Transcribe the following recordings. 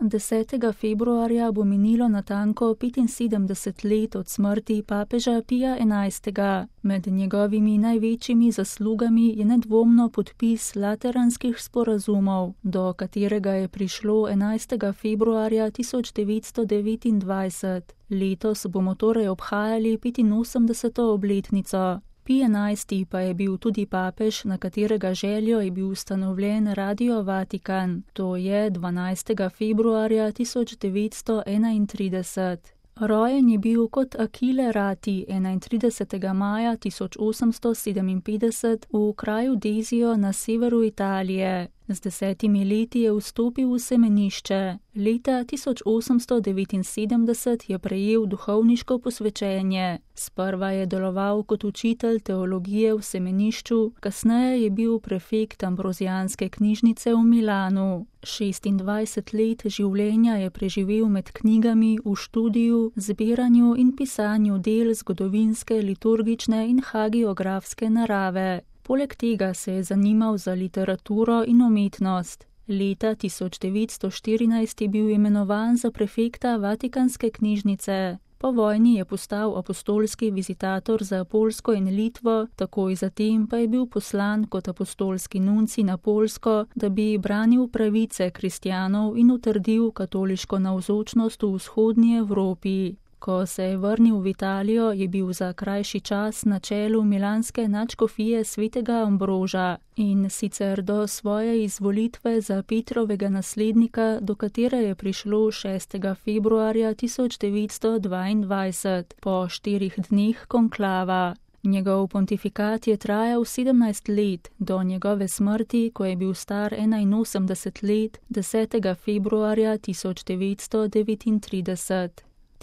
10. februarja bo minilo natanko 75 let od smrti papeža Pija XI. Med njegovimi največjimi zaslugami je nedvomno podpis lateranskih sporazumov, do katerega je prišlo 11. februarja 1929. Letos bomo torej obhajali 85. obletnico. Pij XI. Pa je bil tudi papež, na katerega željo je bil ustanovljen Radio Vatikan, to je 12. februarja 1931. Rojen je bil kot Achille Ratti 31. maja 1857 v kraju Desio na severu Italije. Z 10 leti je vstopil v semenišče. Leta 1879 je prejel duhovniško posvečenje. Sprva je deloval kot učitelj teologije v semenišču, kasneje je bil prefekt ambrozijanske knjižnice v Milanu. 26 let življenja je preživel med knjigami, v študiju, zbiranju in pisanju del zgodovinske, liturgične in hagiografske narave. Poleg tega se je zanimal za literaturo in umetnost. Leta 1914 je bil imenovan za prefekta Vatikanske knjižnice. Po vojni je postal apostolski vizitator za Poljsko in Litvo, takoj zatem pa je bil poslan kot apostolski nuncij na Poljsko, da bi branil pravice kristjanov in utrdil katoliško navzočnost v vzhodnji Evropi. Ko se je vrnil v Italijo, je bil za krajši čas na čelu milanske nadškofije svetega Ambroža in sicer do svoje izvolitve za Petrovega naslednika, do katere je prišlo 6. februarja 1922, po 4 dneh konklava. Njegov pontifikat je trajal 17 let, do njegove smrti, ko je bil star 81 let, 10. februarja 1939.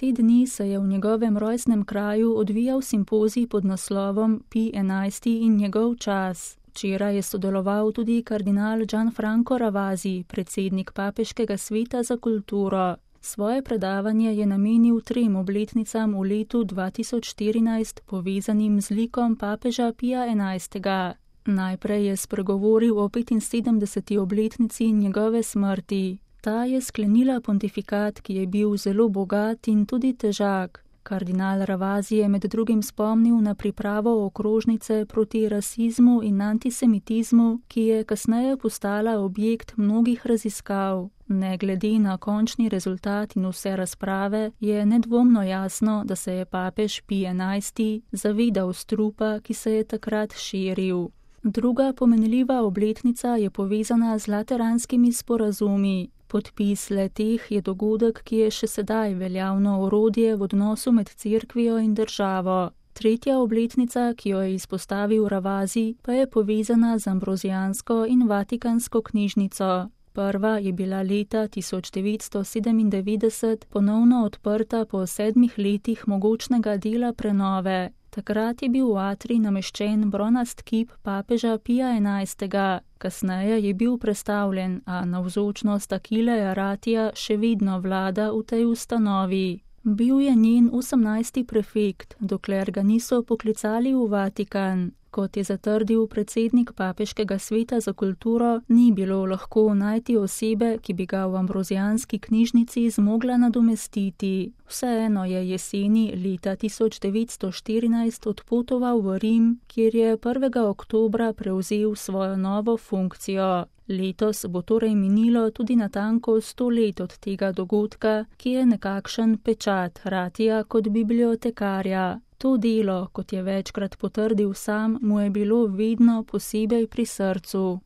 Te dni se je v njegovem rojstnem kraju odvijal simpozij pod naslovom Pij XI. In njegov čas. Včeraj je sodeloval tudi kardinal Gianfranco Ravasi, predsednik Papeškega sveta za kulturo. Svoje predavanje je namenil 3 obletnicam v letu 2014, povezanim z likom papeža Pija XI. Najprej je spregovoril o 75. obletnici njegove smrti. Ta je sklenila pontifikat, ki je bil zelo bogat in tudi težak. Kardinal Ravasi je med drugim spomnil na pripravo okrožnice proti rasizmu in antisemitizmu, ki je kasneje postala objekt mnogih raziskav. Ne glede na končni rezultat in vse razprave, je nedvomno jasno, da se je papež Pij XI. Zavedal strupa, ki se je takrat širil. Druga pomenljiva obletnica je povezana z lateranskimi sporazumi. Podpis le-teh je dogodek, ki je še sedaj veljavno orodje v odnosu med cerkvijo in državo. Tretja obletnica, ki jo je izpostavil Ravasi, pa je povezana z ambrozijansko in vatikansko knjižnico. Prva je bila leta 1997 ponovno odprta po 7 letih mogočnega dela prenove. Takrat je bil v atrij nameščen bronast kip papeža Pija XI. Kasneje je bil prestavljen, a navzočnost Achilleja Rattija še vedno vlada v tej ustanovi. Bil je njen 18. prefekt, dokler ga niso poklicali v Vatikan. Kot je zatrdil predsednik Papeškega sveta za kulturo, ni bilo lahko najti osebe, ki bi ga v ambrozijanski knjižnici zmogla nadomestiti. Vseeno je jeseni leta 1914 odpotoval v Rim, kjer je 1. oktobra prevzel svojo novo funkcijo. Letos bo torej minilo tudi natanko 100 let od tega dogodka, ki je nekakšen pečat Rattija kot bibliotekarja. To delo, kot je večkrat potrdil sam, mu je bilo vedno posebej pri srcu.